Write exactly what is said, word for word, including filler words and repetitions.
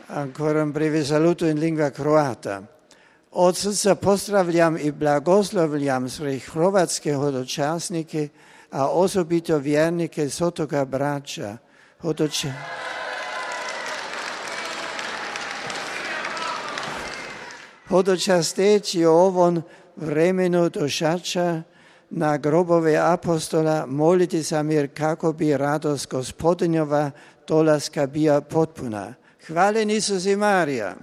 Ancora un breve saluto in lingua croata. Od srca pozdravljam i blagoslovljam sve hrvatske hodočasnike, a osobito vjernike s otoka Brača. Hodoča... Hodočasteći u ovom vremenu došača na grobove apostola moliti sam jer kako bi radost Gospodinjova dolaska bila potpuna. Hvaljen Isus i Marija.